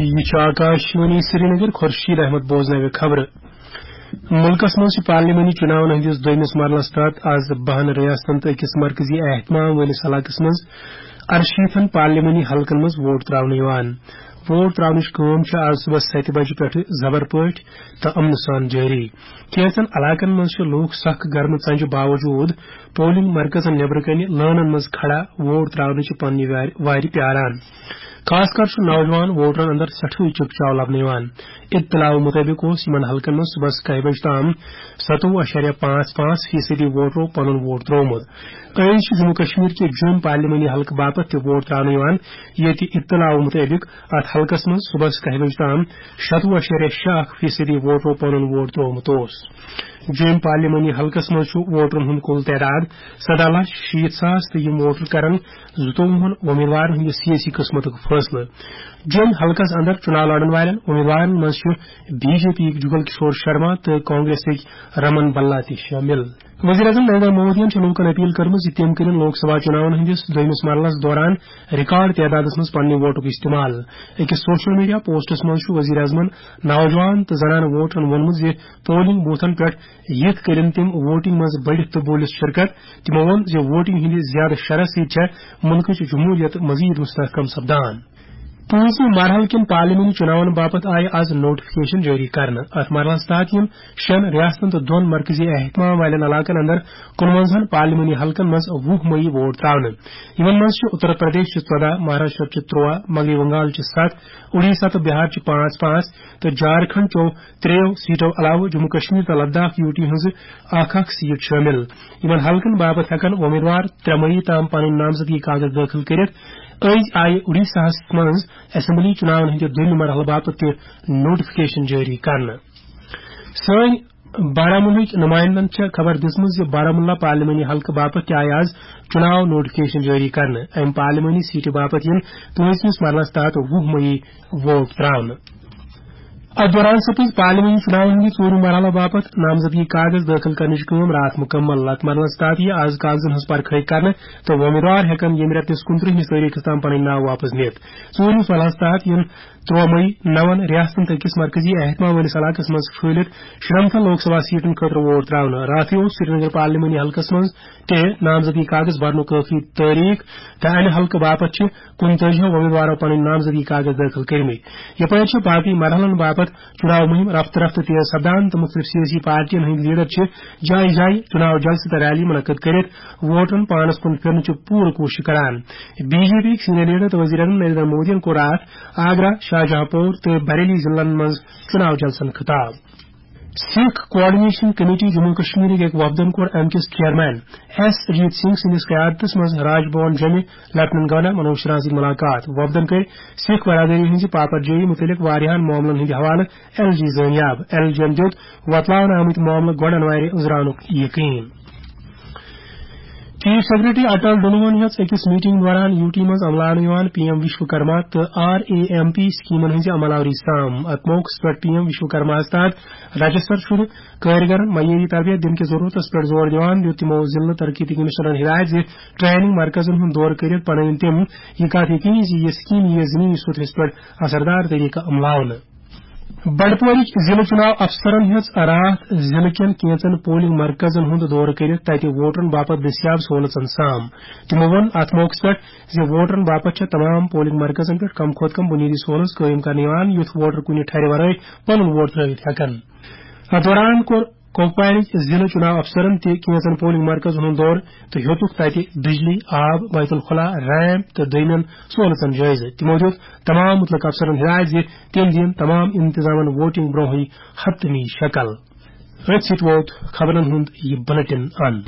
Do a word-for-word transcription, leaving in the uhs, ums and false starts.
یہِ چھُ آکاشوانی سرینگر، خورشید احمد بوزناوِ خبرٕ۔ مُلکَس منٛز چھِ پارلیمانی چُناون ہٕنٛدِس دوٚیمِس مرحلَس تحت آز بَہَن ریاستن تہٕ أکِس مرکزی اہتمام وٲلِس علاقَس منٛز اَرشیٖتھن پارلیمانی حلقن منٛز ووٹ تراونہٕ یِوان۔ ووٹ تراونٕچ کٲم چھِ آز صُبحس سَتہِ بجہِ پٮ۪ٹھٕ زبر پٲٹھۍ تہٕ امنہٕ سان جٲری۔ کینٛژن علاقن منٛز چھِ لوٗکھ سخ گرمہٕ ژنجہِ باوجوٗد پولنگ مرکزن نیبرٕ کنہِ لٲنن منٛز کھڑا ووٹ تراونٕچہِ پننہِ وارِ، وارِ پیاران۔ خاص کر چھُ نوجوان ووٹرن اندر سٮ۪ٹھٕے چکچاو لبنہٕ یِوان۔ اطلاعو مُطٲبِق اوس یِمن حلقن منٛز صُبحس کَہہِ بجہِ تام ستووُہ اَشاریہ پانٛژھ پانٛژھ فیصدی ووٹرو پنُن ووٹ ترٛوومُت۔ أزۍ چھِ جموں کشمیر کہِ جوٚم پارلیمانی حلقہٕ باپتھ تہِ ووٹ تراونہٕ یِوان، ییٚتہِ اطلاعو مُطٲبِق اتھ حلقس منٛز صُبحس کَہہِ بجہِ تام شتوُہ اَشاریہ شےٚ اکھ فیصدی ووٹرو پنُن ووٹ ترٛوومُت اوس۔ جوٚم پارلیمانی حلقس منٛز چھُ ووٹرن ہُنٛد کُل تعداد سَداہ لچھ شیٖتھ ساس تہٕ یِم ووٹر کرن زٕتووُہن وۄمیدوارن ہٕنٛدِ سیٲسی قٕسمتُک فٲصلہٕ۔ جوٚم حلقس اندر چُناو لڑن والٮ۪ن وۄمیدوارن منٛز چھِ بی جے پی یِکۍ جُگل کشور شرما تہٕ کانگریسٕکۍ رمن بلا تہِ شٲمِل۔ وزیر اعظم نریندر مودیَن چھِ لوٗکَن اپیل کٔرمٕژ زِ تِم کٔرِن لوک سبھا چُناوَن ہٕنٛدِس دوٚیمِس مرحلَس دوران ریکارڈ تعدادَس منٛز پننہِ ووٹُک استعمال۔ أکِس سوشل میڈیا پوسٹَس منٛز چھُ وزیر اعظمَن نوجوان تہٕ زنانہٕ ووٹرَن ووٚنمُت زِ پولنگ بوتھَن پٮ۪ٹھ یِتھ کٔرِن تِم ووٹنگ منٛز بٔڑِتھ تہٕ بوٗلِتھ شرکت۔ تِمَو ووٚن زِ ووٹنگ ہٕنٛدِ زیادٕ شرح سۭتۍ چھےٚ مُلکٕچ جمہوٗریت مزید مستحکم سپدان۔ پانٛژمہِ مرحلہٕ کٮ۪ن پارلیمانی چُناون باپتھ آیہِ آز نوٹیفکیشن جٲری کرنہٕ۔ اتھ مرحلس تحت یِن شٮ۪ن ریاستن تہٕ دۄن مرکزی اہتمام والٮ۪ن علاقن اندر کُنوَنزاہن پارلیمانی حلقن منٛز وُہ مئی ووٹ تراونہٕ۔ یِمن منٛز چھِ اتر پردیش چہِ ژۄداہ، مہاراشٹر چہِ ترٛواہ، مغربی بنگال چہِ ستھ، اُڈیشہ تہٕ بہار چہِ پانٛژھ پانٛژھ تہٕ جھارکھنڈ چیو ترٛیٚیو سیٹو علاوٕ جموں کشمیر تہٕ لداخ یوٗ ٹی ہٕنٛزٕ اکھ اکھ سیٹ شٲمِل۔ یِمن حلقن باپتھ ہٮ۪کن وۄمیدوار ترٛےٚ مئی تام پنٕنۍ نامزدگی کاغذ دٲخل کٔرِتھ۔ أزۍ آیہِ اُڈیشاہس منٛز اسمبلی چُناون ہٕنٛدِ دوٚیمہِ مرحلہٕ باپتھ تہِ نوٹیفکیشن جٲری کرنہٕ۔ سٲنۍ بارہمولہٕکۍ نُمایندن چھےٚ خبر دِژمٕژ زِ بارہمولہ پارلیمانی حلقہٕ باپتھ تہِ آیہِ آز چُناو نوٹیفکیشن جٲری کرنہٕ۔ امہِ پارلیمانی سیٹہِ باپتھ یِن پٲنٛژمِس مرحلس تحت وُہ مئی ووٹ تراونہٕ۔ اتھ دوران سپٕز پارلیمانی چُناون ہٕنٛدِ ژوٗرِم مرحلہٕ باپتھ نامزدگی کاغذ دٲخل کرنٕچ کٲم راتھ مُکمل۔ اتھ مرحلس تحت یِیہِ آز کاغذن ہٕنٛز پرکھٲے کرنہٕ تہٕ وۄمیدوار ہٮ۪کن ییٚمہِ رٮ۪تہٕ کِس کُنترٕہمِس تٲریخس تام پنٕنۍ ناو واپس نِتھ۔ ژوٗرِمِس مرحلس تحت یِن ترٛوہ مئی نون ریاستن تہٕ أکِس مرکزی اہتمام وٲلِس علاقس منٛز پھٲلِتھ شُرنمتھن لوک سبھا سیٹن خٲطرٕ ووٹ تراونہٕ۔ راتھٕے اوس سرینگر پارلیمانی حلقس منٛز تہِ نامزدگی کاغذ برنُک ٲخری تٲریخ تہٕ امہِ حلقہٕ باپتھ چھِ کُنتٲجی وۄمیدوارو پنٕنۍ نامزدگی کاغذ دٲخل کٔرمٕتۍ۔ یپٲرۍ چھِ باقٕے مرحلن باپتھ چُناو مُہِم رفتہٕ رفتہٕ تیز سپدان تہٕ مُختٔلِف سیٲسی پارٹین ہٕنٛدۍ لیڈر چھِ جایہِ جایہِ چُناو جلسہٕ تہٕ ریلی منعقد کٔرِتھ ووٹرن پانس کُن پھِرنٕچ پوٗرٕ کوٗشش کران۔ بی جے پی یٕکۍ سینئر لیڈر تہٕ وزیر اعظم نریندر مودیَن کوٚر راتھ آگرہ، شاہ جہاں پوٗر تہٕ بریلی ضلعن منٛز چُناو جلسن خطاب۔ سکھ کوآرڈینیشن کمیٹی جموں کشمیرٕکۍ أکۍ وفدن کوٚر امہِ کِس چیئرمین ایس اجیت سنگھ سٕنٛدِس قیادتس منٛز راج بھون جوٚمہِ لیفٹیننٹ گورنر منوج سنہاہَس سۭتۍ مُلاقات۔ وفدن کٔرۍ سِکھ برادری ہٕنٛزِ پاپرجٲیی مُتعلِق واریاہن معاملن ہٕنٛدِ حوالہٕ ایل جی زٲنیاب۔ ایل جی ین دِیُت وۄتلاونہٕ آمٕتۍ معاملہٕ گۄڈٕ انوارِ أنٛزراونُک یقین۔ چیف سیکرٹری اٹل ڈلون ہیٚژ أکِس میٹنگ دوران یوٗ ٹی منٛز عملاونہٕ یِوان پی ایم وشوکرما تہٕ آر اے ایم پی سکیمن ہٕنٛزِ عمل آوری سام۔ اتھ موقعس پٮ۪ٹھ پی ایم وشوکرماہس تحت رجسٹر شُدٕ کٲرگرن معیٲری تربیت دِنہٕ کِس ضروٗرتس پٮ۪ٹھ زور دِوان دیُت تِمو ضلعہٕ ترقیتی کمشنرن ہدایت زِ ٹریننگ مرکزن ہُنٛد دورٕ کٔرِتھ بنٲوِن تِم یہِ کتھ یقینی زِ یہِ سکیٖم یِیہِ زمینی سطحس پٮ۪ٹھ اثردار طریقہٕ عملاونہٕ۔ بنڈپورٕکۍ ضلعہٕ چُناو افسرن ہیٚژ راتھ ضلعہٕ کٮ۪ن کینژن پولنگ مرکزن ہُنٛد دورٕ کٔرِتھ تتہِ ووٹرن باپتھ دٔستیاب سہولژن سام۔ تِمو ووٚن اتھ موقعس پٮ۪ٹھ زِ ووٹرن باپتھ چھےٚ تمام پولنگ مرکزن پٮ۪ٹھ کم کھۄتہٕ کم بنیٲدی سہولژ قٲیِم کرنہٕ یِوان، یُتھ ووٹر کُنہِ ٹھرِ ورٲے پنُن ووٹ ترٲوِتھ ہٮ۪کن۔ اتھ دوران کوٚر کۄپوارٕکۍ ضلعہٕ چُناو افسرن تہِ کینژن پولنگ مرکزن ہُنٛد دورٕ تہٕ ہیوٚتُکھ تتہِ بجلی، آب، بیت الخلا، ریمپ تہٕ دوٚیمٮ۪ن سہولژن جٲیزٕ۔ تِمو دِیُت تمام مُتعلقہٕ افسرن ہدایت زِ تِم دِیِن تمام انتظامن ووٹنگ برونٛہٕے حتمی شکل۔ أتھۍ سۭتۍ ووت خبرن ہُنٛد یہِ بلیٹن اند۔